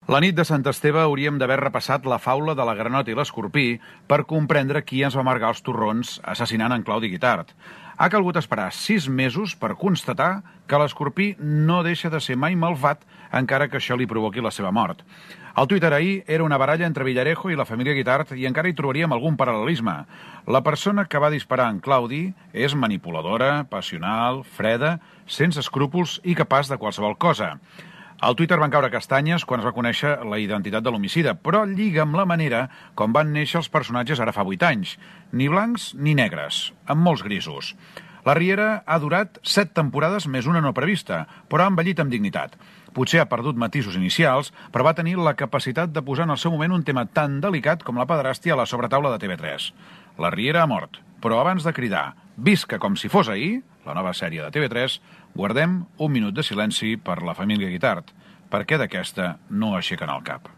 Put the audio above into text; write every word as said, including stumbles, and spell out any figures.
La nit de Sant Esteve hauríem d'haver repassat la faula de la granota i l'escorpí per comprendre qui ens va amargar els torrons assassinant en Claudi Guitart. Ha calgut esperar sis mesos per constatar que l'escorpí no deixa de ser mai malvat, encara que això li provoqui la seva mort. El Twitter ahir era una baralla entre Villarejo i la família Guitart i encara hi trobaríem algun paral·lelisme. La persona que va disparar en Claudi és manipuladora, passional, freda, sense escrúpols i capaç de qualsevol cosa. Al Twitter van caure castanyes quan es va conèixer la identitat de l'homicida, però lliga amb la manera com van néixer els personatges ara fa vuit anys. Ni blancs ni negres, amb molts grisos. La Riera ha durat set temporades més una no prevista, però ha envellit amb dignitat. Potser ha perdut matisos inicials, però va tenir la capacitat de posar en el seu moment un tema tan delicat com la pederàstia a la sobretaula de T V tres. La Riera ha mort, però abans de cridar «Visca com si fos ahir», la nova sèrie de T V tres, guardem un minut de silenci per la família Guitart, perquè d'aquesta no aixequen el cap.